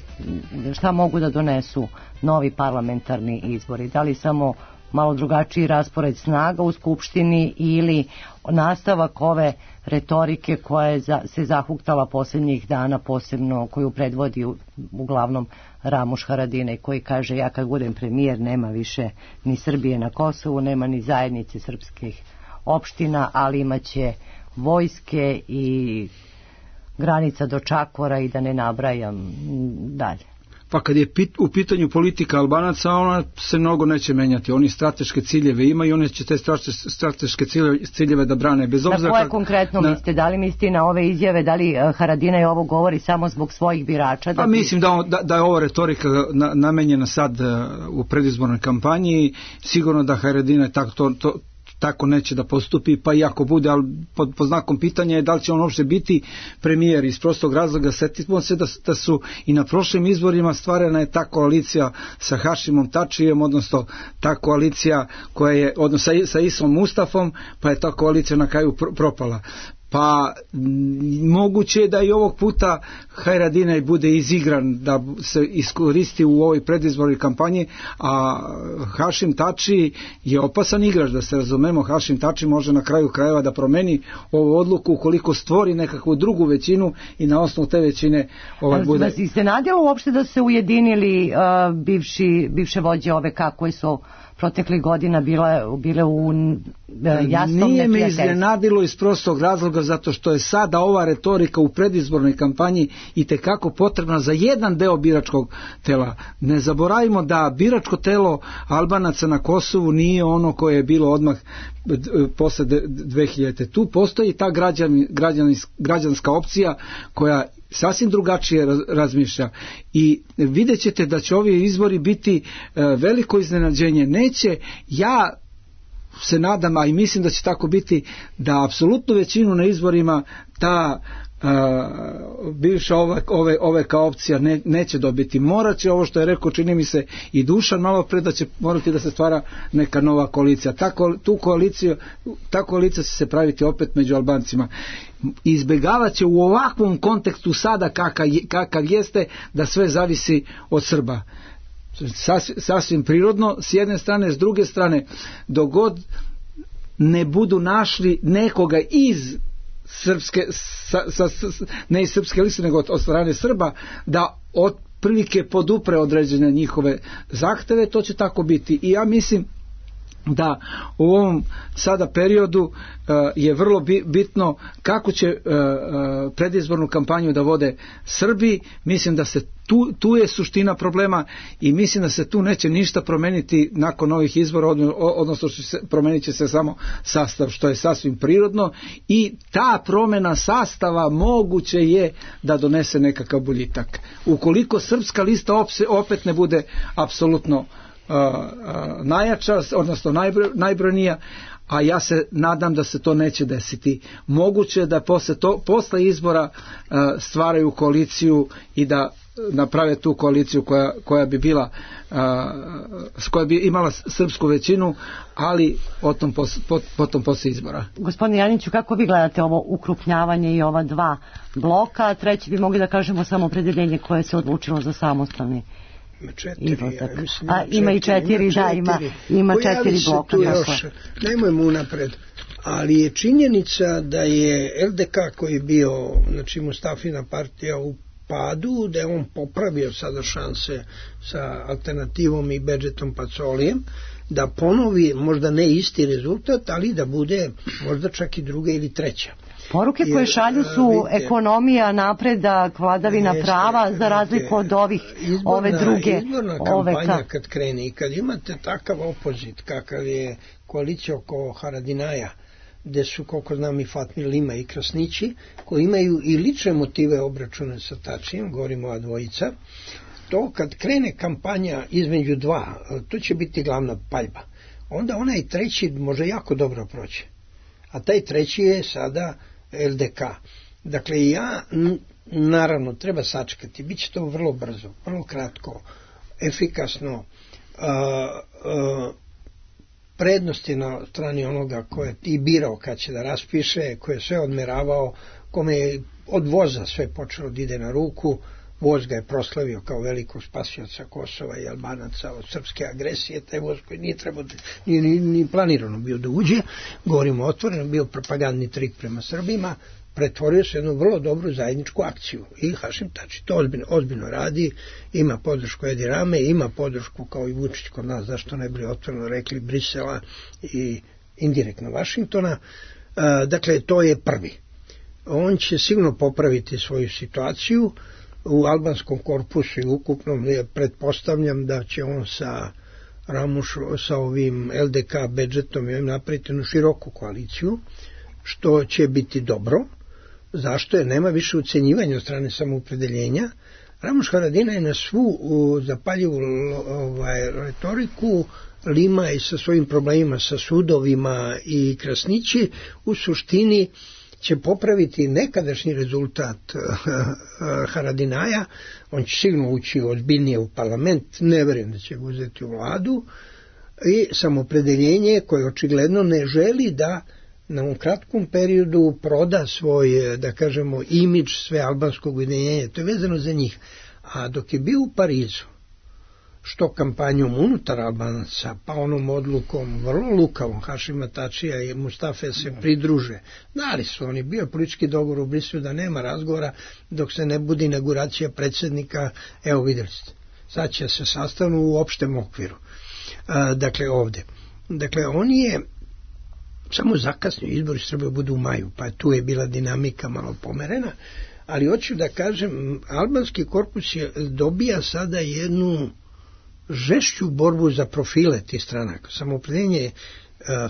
šta mogu da donesu novi parlamentarni izbori? Da li samo malo drugačiji raspored snaga u Skupštini ili nastavak ove retorike koja se zahuktala posljednjih dana, posebno koju predvodi uglavnom Ramuš Haradinaj, koji kaže: ja kad budem premijer nema više ni Srbije na Kosovu, nema ni zajednice srpskih opština, ali imaće vojske i granica do Čakvora i da ne nabrajam dalje. Pa kad je u pitanju politika Albanaca, ona se mnogo neće menjati. Oni strateške ciljeve imaju i oni će te strateške ciljeve da brane. Bez obzira na koje konkretno mislite? Da li mislite na ove izjave? Da li Haradinaj ovo govori samo zbog svojih birača? Pa mislim da je ova retorika namenjena sad u predizbornoj kampanji. Sigurno da Haradinaj tako neće da postupi, pa i ako bude, ali pod znakom pitanja je da li će on uopšte biti premijer. Iz prostog razloga setimo se da su i na prošlim izborima stvarena je ta koalicija sa Hašimom Tačijem, odnosno ta koalicija koja je, odnosno sa Isom Mustafom, pa je ta koalicija na kraju propala. Pa moguće je da i ovog puta Haradinaj bude izigran, da se iskoristi u ovoj predizbornoj kampanji, a Hašim Tači je opasan igrač, da se razumemo. Hašim Tači može na kraju krajeva da promeni ovu odluku ukoliko stvori nekakvu drugu većinu i na osnovu te većine bude. Vas iznenadilo uopšte da se ujedinili bivše vođe OVK koji su proteklih godina bile u jasnom neprijateljstvu? Nije me iznenadilo iz prostog razloga zato što je sada ova retorika u predizbornoj kampanji itekako potrebna za jedan deo biračkog tela. Ne zaboravimo da biračko telo Albanaca na Kosovu nije ono koje je bilo odmah posle 2000. Tu postoji ta građanska opcija koja sasvim drugačije razmišlja i vidjet ćete da će ovi izbori biti veliko iznenađenje. Neće, ja se nadam, a i mislim da će tako biti, da apsolutnu većinu na izborima ta bivša OVK opcija neće dobiti. Morat će, ovo što je rekao, čini mi se i Dušan malo pre, da će morati da se stvara neka nova koalicija. Ta koalicija će se praviti opet među Albancima. Izbjegavat će u ovakvom kontekstu sada kakav jeste, da sve zavisi od Srba. Sasvim prirodno s jedne strane, s druge strane dok god ne budu našli nekoga iz srpske, ne iz srpske liste nego od strane Srba, da otprilike podupre određene njihove zahteve, to će tako biti. I ja mislim da u ovom sada periodu je vrlo bitno kako će predizbornu kampanju da vode Srbi. Mislim da se tu je suština problema i mislim da se tu neće ništa promeniti nakon ovih izbora, odnosno promenit će se samo sastav, što je sasvim prirodno, i ta promjena sastava moguće je da donese nekakav boljitak. Ukoliko srpska lista opet ne bude apsolutno najjača, odnosno najbrojnija, a ja se nadam da se to neće desiti. Moguće da posle izbora stvaraju koaliciju i da naprave tu koaliciju koja bi bila, koja bi imala srpsku većinu, ali potom posle izbora. Gospodine Janiću, kako vi gledate ovo ukrupnjavanje i ova dva bloka? Treći bi mogli da kažemo samo opredeljenje koje se odlučilo za samostalni izlazak. Ima i četiri, da, ima četiri bloka. Nemojmo unapred, ali je činjenica da je LDK koji je bio, znači Mustafina partija u padu, da je on popravio sada šanse sa alternativom i Bedžetom Pacolijem, da ponovi možda ne isti rezultat, ali da bude možda čak i druga ili treća. Poruke koje šalju su ekonomija, napredak, vladavina prava, za razliku od ove druge. Izborna kampanja kad krene i kad imate takav opozit kakav je koalicija oko Haradinaja, gde su, koliko znam, i Fatmir Lima i Krasnići, koji imaju i lične motive obračune sa Tačijem, govorimo o dvojica, to kad krene kampanja između dva, to će biti glavna paljba. Onda onaj treći može jako dobro proći. A taj treći je sada LDK. Dakle, naravno, treba sačekati. Biće to vrlo brzo, vrlo kratko, efikasno. Prednost je na strani onoga koje ti birao kad će da raspiše, koje je sve odmeravao, kome je od voza sve počelo da ide na ruku. Voz ga je proslavio kao velikog spasioca Kosova i Albanaca od srpske agresije. Taj voz koji nije trebao, ni planirano bio da uđe, govorimo otvoreno, bio propagandni trik prema Srbima, pretvorio se jednu vrlo dobru zajedničku akciju. I Hašim Tači to ozbiljno radi, ima podršku Edi Rame, ima podršku kao i Vučić kod nas, zašto ne bi otvoreno rekli, Brisela i indirektno Vašingtona. Dakle, to je prvi. On će sigurno popraviti svoju situaciju. u albanskom korpusu i ukupnom, pretpostavljam da će on sa sa ovim LDK budžetom i napraviti jednu široku koaliciju, što će biti dobro. Zašto? Jer nema više ucenjivanja od strane samoopredeljenja. Ramuš Haradinaj je na svu zapaljivu retoriku lima i sa svojim problemima sa sudovima i Krasnići u suštini će popraviti nekadašnji rezultat Haradinaja. On će sigurno ući ozbiljnije u parlament, ne verujem da će ga uzeti u vladu, i samoopredeljenje koje očigledno ne želi da na ovom kratkom periodu proda svoj, da kažemo, imidž sve albanskog ujedinjenja. To je vezano za njih. A dok je bio u Parizu, što kampanjom unutar Albanaca, pa onom odlukom vrlo lukavom Hašima Tačija i Mustafe se pridruže, dali su oni, bio politički dogovor u Briselu da nema razgovora dok se ne bude inauguracija predsjednika, evo vidjeli ste, sad će se sastavnu u opštem okviru. Dakle ovdje. Dakle on je samo zakasnio, izbori Srbije budu u maju, pa tu je bila dinamika malo pomerena, ali hoću da kažem, albanski korpus dobija sada jednu žešću borbu za profile tih stranaka. Samoopredeljenje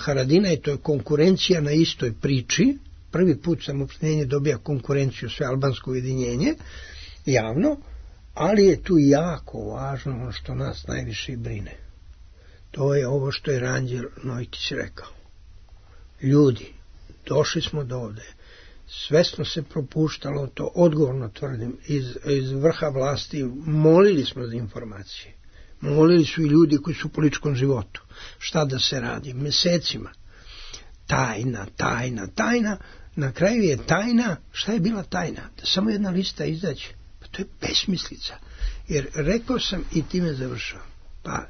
Haradinaj, to je konkurencija na istoj priči. Prvi put samoopredeljenje dobija konkurenciju, sve albansko ujedinjenje, javno, ali je tu jako važno ono što nas najviše brine. To je ovo što je Ranđel Nojkić rekao. Ljudi, došli smo do ovde, svesno se propuštalo, to odgovorno tvrdim, iz vrha vlasti, molili smo za informacije. Molili su i ljudi koji su u političkom životu. Šta da se radi? Mesecima. Tajna. Na kraju je tajna. Šta je bila tajna? Da samo jedna lista izađe. Pa to je besmislica. Jer rekao sam i time završavam. Pa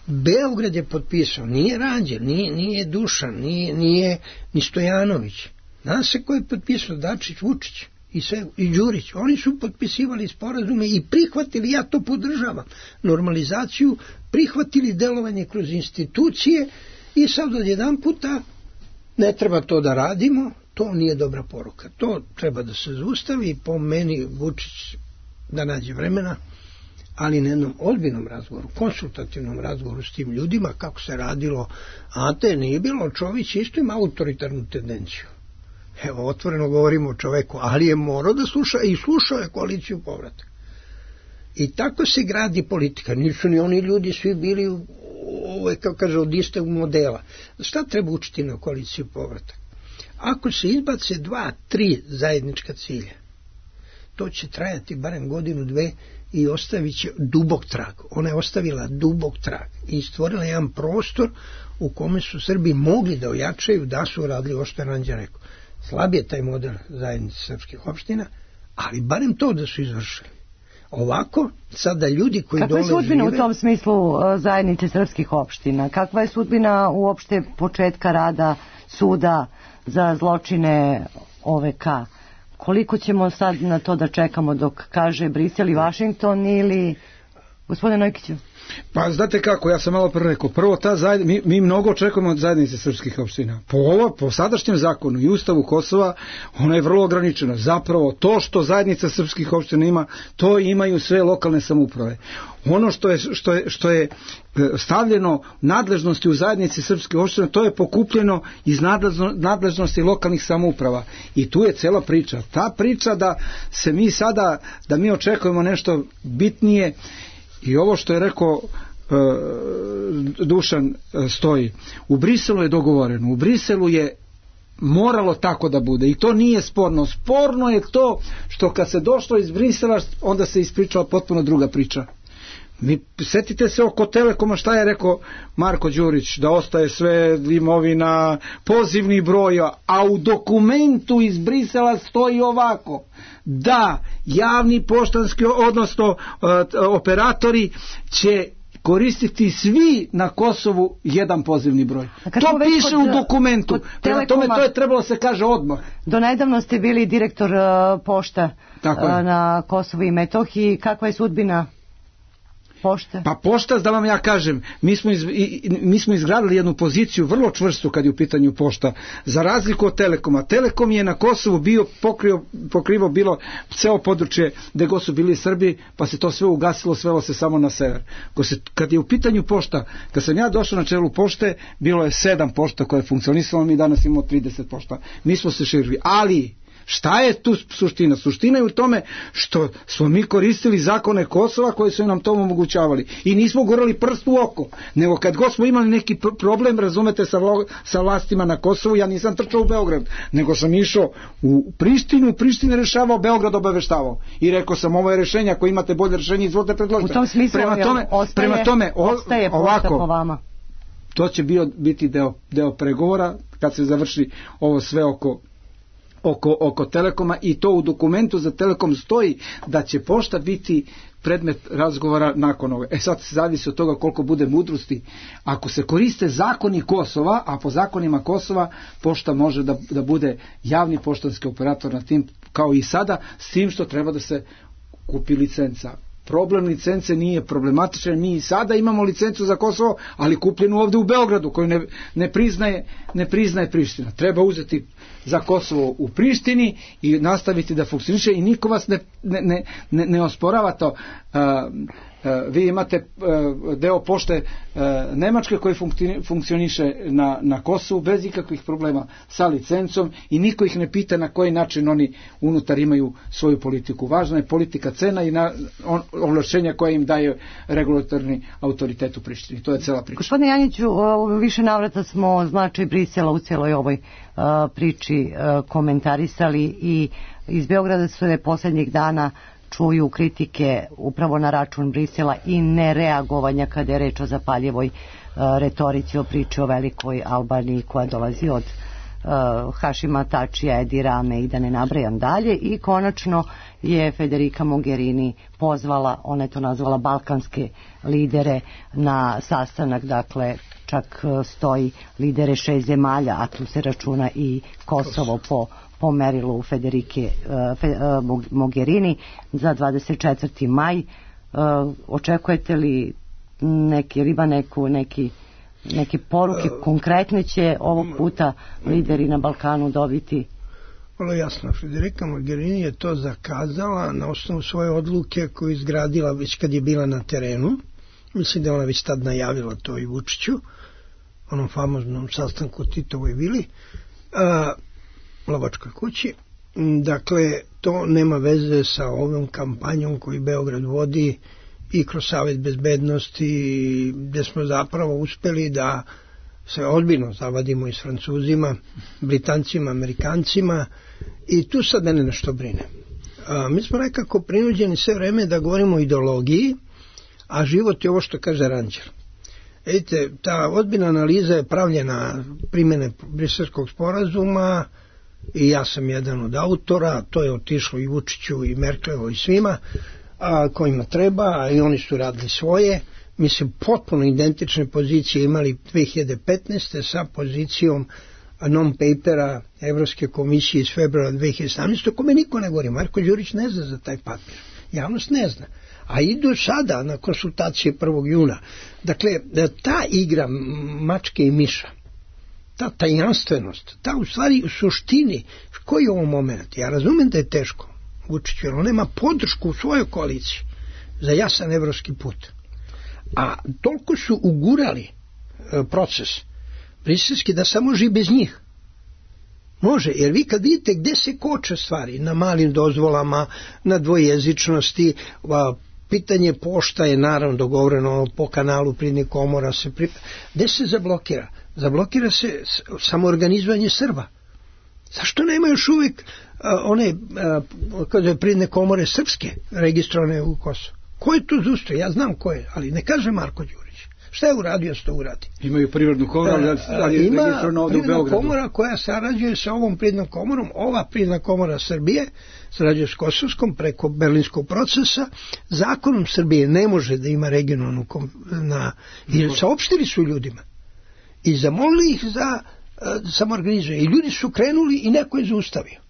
Beograd je potpisao. Nije Ranđel, nije Dušan, nije ni Stojanović. Zna se ko je potpisao? Dačić, Vučić i Đurić. Oni su potpisivali sporazume i prihvatili, ja to podržavam, normalizaciju, prihvatili delovanje kroz institucije i sad odjedan puta ne treba to da radimo, to nije dobra poruka. To treba da se zaustavi, po meni Vučić da nađe vremena, ali na jednom ozbiljnom razgovoru, konsultativnom razgovoru s tim ljudima, kako se radilo. Ante, nije bilo, Čović isto ima autoritarnu tendenciju. Evo, otvoreno govorimo o čoveku, ali je morao da sluša i slušao je koaliciju povratak. I tako se gradi politika. Nisu ni oni ljudi svi bili, kako kaže, od istog modela. Šta treba učiti na koaliciju povratak? Ako se izbace 2-3 zajednička cilja, to će trajati barem godinu, dve i ostavit će dubok trag. Ona je ostavila dubok trag i stvorila jedan prostor u kome su Srbi mogli da ojačaju, da su radili ovo što je Ranđa rekao. Slab je taj model zajednice srpskih opština, ali barem to da su izvršili. Ovako, sada ljudi koji dole žive... Kakva je sudbina u tom smislu zajednice srpskih opština? Kakva je sudbina uopšte početka rada suda za zločine OVK? Koliko ćemo sad na to da čekamo dok kaže Brisel i Vašington ili... Gospodine Nojkiću? Pa znate kako, ja sam malo prvo rekao, prvo mi mnogo očekujemo od zajednice srpskih opština. Po sadašnjem zakonu i ustavu Kosova, ono je vrlo ograničeno. Zapravo to što zajednica srpskih opština ima, to imaju sve lokalne samouprave. Ono što je stavljeno nadležnosti u zajednici srpskih opština, to je pokupljeno iz nadležnosti lokalnih samouprava. I tu je cela priča. Ta priča da se mi sada, da mi očekujemo nešto bitnije. I ovo što je rekao Dušan stoji. U Briselu je dogovoreno. U Briselu je moralo tako da bude. I to nije sporno. Sporno je to što kad se došlo iz Brisela, onda se ispričala potpuno druga priča. Setite se oko Telekoma šta je rekao Marko Đurić, da ostaje sve imovina, pozivni broj, a u dokumentu iz Brisela stoji ovako, da javni poštanski, odnosno operatori će koristiti svi na Kosovu jedan pozivni broj. To piše u dokumentu. Prema tome to je trebalo se kaže odmah. Do nedavno ste bili direktor pošta na Kosovu i Metohiji. Kakva je sudbina? Pošta? Pa pošta, da vam ja kažem, mi smo izgradili jednu poziciju vrlo čvrstu kad je u pitanju pošta, za razliku od Telekoma. Telekom je na Kosovu bio pokrivo bilo ceo područje gde god su bili Srbi, pa se to sve ugasilo, svelo se samo na sever. Kad je u pitanju pošta, kad sam ja došao na čelu pošte, bilo je 7 pošta koje je funkcionisalo, mi danas imamo 30 pošta. Mi smo se širili, ali šta je tu suština? Suština je u tome što smo mi koristili zakone Kosova koji su nam to omogućavali i nismo gurali prst u oko, nego kad god smo imali neki problem, razumete, sa vlastima na Kosovu, ja nisam trčao u Beograd, nego sam išao u Prištinu, Priština rešavao, Beograd obaveštavao i rekao sam, ovo je rešenje, ako imate bolje rešenje, izvolite predložiti. U tom smislu prema tome ovako, po vama. To će biti deo pregovora kad se završi ovo sve oko Telekoma, i to u dokumentu za Telekom stoji da će pošta biti predmet razgovora nakon ovoga. Sad zavisi od toga koliko bude mudrosti. Ako se koriste zakoni Kosova, a po zakonima Kosova pošta može da bude javni poštanski operator na tim kao i sada, s tim što treba da se kupi licenca. Problem licence nije problematičan, mi i sada imamo licencu za Kosovo, ali kupljenu ovdje u Beogradu, koju ne priznaje Priština. Treba uzeti za Kosovo u Prištini i nastaviti da funkcioniše i niko vas ne osporava to. Vi imate deo pošte Nemačke koji funkcioniše na Kosovu bez ikakvih problema sa licencom i niko ih ne pita na koji način oni unutar imaju svoju politiku. Važna je politika cena i ovlašćenja koje im daje regulatorni autoritet u Prištini. To je cela priča. Gospodine Janjiću, više navrata smo značaj Brisela u celoj ovoj priči komentarisali i iz Beograda su posljednjih dana čuju kritike upravo na račun Brisela i nereagovanja kada je reč o zapaljivoj retorici, o priči o velikoj Albaniji koja dolazi od Hašima Tačija, Edi Rame i da ne nabrajam dalje. I konačno je Federica Mogherini pozvala, ona je to nazvala balkanske lidere na sastanak, dakle čak stoji lidere 6 zemalja, a tu se računa i Kosovo po merilu Federike Mogherini za 24. maj. Očekujete li neke poruke konkretne će ovog puta lideri na Balkanu dobiti? Vrlo jasno, Federica Mogherini je to zakazala na osnovu svoje odluke koju izgradila već kad je bila na terenu. Mislim da ona već tad najavila to i Vučiću, onom famoznom sastanku Titovoj vili, Lovačkoj kući. Dakle, to nema veze sa ovom kampanjom koju Beograd vodi i kroz Savet bezbednosti, gde smo zapravo uspeli da se ozbiljno zavadimo i s Francuzima, Britancima, Amerikancima, i tu sad mene nešto brine. Mi smo nekako prinuđeni sve vreme da govorimo o ideologiji, a život je ovo što kaže Ranđer. Vidite, ta ozbiljna analiza je pravljena primjene Briselskog sporazuma i ja sam jedan od autora, to je otišlo i Vučiću i Merkelovo i svima kojima treba, i oni su radili svoje. Mi se potpuno identične pozicije imali 2015. sa pozicijom non-papera Evropske komisije iz februara 2017. o kome niko ne govori. Marko Đurić ne zna za taj papir. Javnost ne zna. A idu sada na konsultacije 1. juna. Dakle, ta igra mačke i miša, ta tajanstvenost, ta u stvari u suštini, koji je ovo moment? Ja razumem da je teško Vučiću, jer on nema podršku u svojoj koaliciji za jasan evropski put. A toliko su ugurali proces briselski da samo može i bez njih. Može, jer vi kad vidite gde se koče stvari, na malim dozvolama, na dvojezičnosti, pitanje pošta je naravno dogovoreno po kanalu Privrednih komora, gde se zablokira? Zablokira se samoorganizovanje Srba. Zašto nema još uvijek one Privredne komore srpske registrovane u Kosovu? Ko je tu zustao? Ja znam ko je, ali ne kaže Marko Đurić. Šta je uradio što uradi? Imaju privrednu komoru, ali je registrovano ovdje u Beogradu. Ima komora koja sarađuje sa ovom privrednom komorom. Ova privredna komora Srbije sarađuje s Kosovskom preko Berlinskog procesa. Zakonom Srbije ne može da ima regionalnu i saopštili su ljudima i zamolili ih za samoorganizovanje. I ljudi su krenuli i neko je zaustavio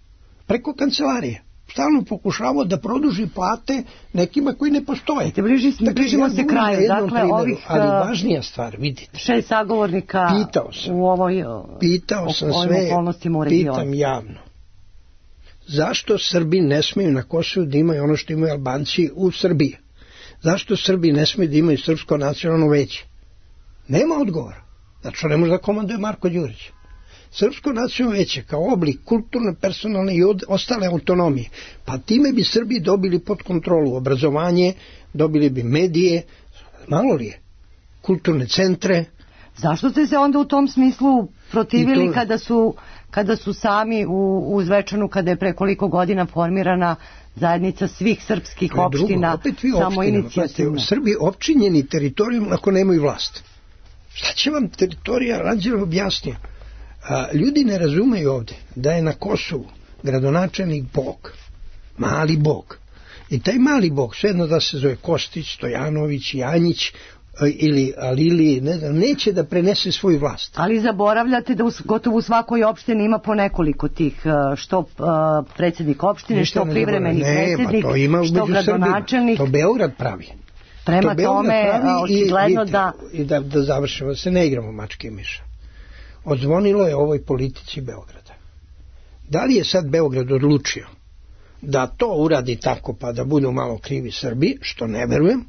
preko kancelarije. stalno pokušavao da produži plate nekima koji ne postoje. Bližimo se kraju. Dakle, ovih ali važnija stvar, vidite. 6 sagovornika u ovoj okolnostima u regionu. Pitam javno. Zašto Srbi ne smeju na Kosovu da imaju ono što imaju Albanci u Srbiji? Zašto Srbi ne smeju da imaju Srpsko nacionalno veće? Nema odgovora. Znači, ne može da komanduje Marko Đurić. Srpsko nacionalno veće kao oblik kulturne, personalne i ostale autonomije. Pa time bi Srbi dobili pod kontrolu obrazovanje, dobili bi medije, malo li je, kulturne centre. Zašto ste se onda u tom smislu protivili kada su sami u Zvečanu, kada je pre koliko godina formirana zajednica svih srpskih opština, samo inicijativno? Srbi opčinjeni teritorijom ako nemaju vlast. Šta će vam teritorija, Ranđelov objasnio? Ljudi ne razumeju ovde da je na Kosovu gradonačelnik Bog, mali Bog. I taj mali Bog, svejedno da se zove Kostić, Stojanović, Janjić ili Alili, ne znam, neće da prenese svoju vlast. Ali zaboravljate da gotovo u svakoj opštini ima po nekoliko tih, što predsjednik opštine, što privremeni predsjednik, što gradonačelnik. To Beograd pravi. Prema tome, očigledno da... I da završimo, da se ne igramo mačke i miša. Odzvonilo je ovoj politici Beograda. Da li je sad Beograd odlučio da to uradi tako pa da budu malo krivi Srbi, što ne verujem,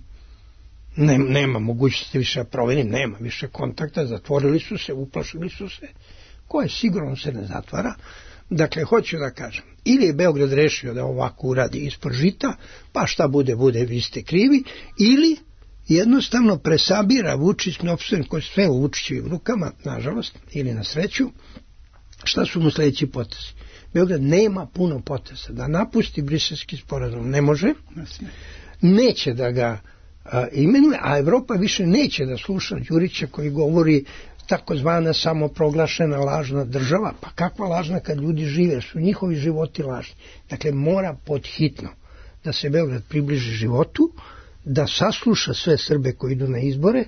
nema mogućnosti više proverim, nema više kontakta, zatvorili su se, uplašili su se, koje sigurno se ne zatvara. Dakle, hoću da kažem, ili je Beograd rešio da ovako uradi ispod žita, pa šta bude, vi ste krivi, ili jednostavno presabira Vučić Novstven koji sve u Vučićevim rukama, nažalost, ili na sreću. Šta su mu sledeći potezi? Beograd nema puno poteza. Da napusti Briselski sporazum ne može, neće da ga imenuje, a Evropa više neće da sluša Đurića koji govori takozvana samoproglašena lažna država. Pa kakva lažna kad ljudi žive, su njihovi životi lažni. Dakle, mora podhitno da se Beograd približi životu, da sasluša sve Srbe koji idu na izbore,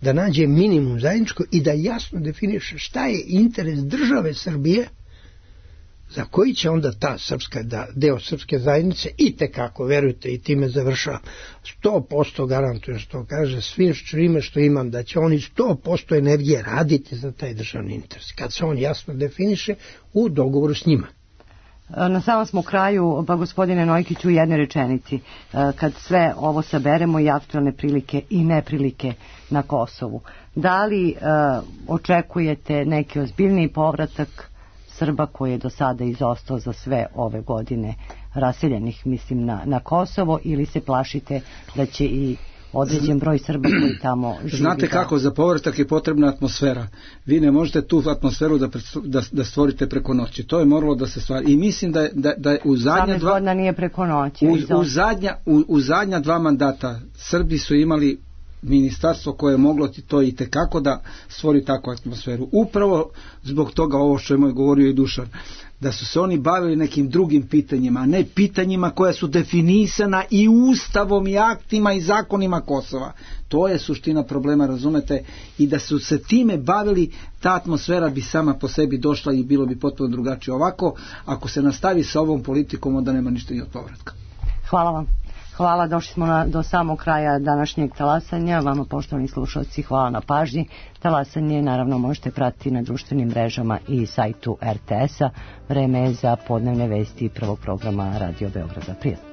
da nađe minimum zajedničko i da jasno definiše šta je interes države Srbije, za koji će onda ta srpska, deo srpske zajednice i tekako, verujte, i time završavam, 100% garantujem što kaže, svim čime što imam, da će oni 100% energije raditi za taj državni interes, kad se on jasno definiše u dogovoru s njima. Na samom smo kraju, pa gospodine Nojkiću, u jednoj rečenici. Kad sve ovo saberemo i aktualne prilike i neprilike na Kosovu, da li očekujete neki ozbiljniji povratak Srba koji je do sada izostao za sve ove godine raseljenih, mislim, na Kosovo, ili se plašite da će i određen broj Srba koji tamo živi? Znate kako, za povratak je potrebna atmosfera. Vi ne možete tu atmosferu da stvorite preko noći. To je moralo da se stvari. I mislim da je u zadnja dva... 18 godina nije preko noći. U zadnja 2 mandata Srbi su imali ministarstvo koje je moglo to i tekako da stvori takvu atmosferu. Upravo zbog toga ovo što je moj govorio i Dušan, da su se oni bavili nekim drugim pitanjima, a ne pitanjima koja su definisana i ustavom i aktima i zakonima Kosova. To je suština problema, razumete, i da su se time bavili, ta atmosfera bi sama po sebi došla i bilo bi potpuno drugačije. Ovako, ako se nastavi sa ovom politikom, onda nema ništa ni od povratka. Hvala vam. Hvala, došli smo do samog kraja današnjeg talasanja. Vama, poštovani slušalci, hvala na pažnji. Talasanje naravno možete pratiti na društvenim mrežama i sajtu RTS-a. Vreme je za podnevne vesti prvog programa Radio Beograda. Prijatno.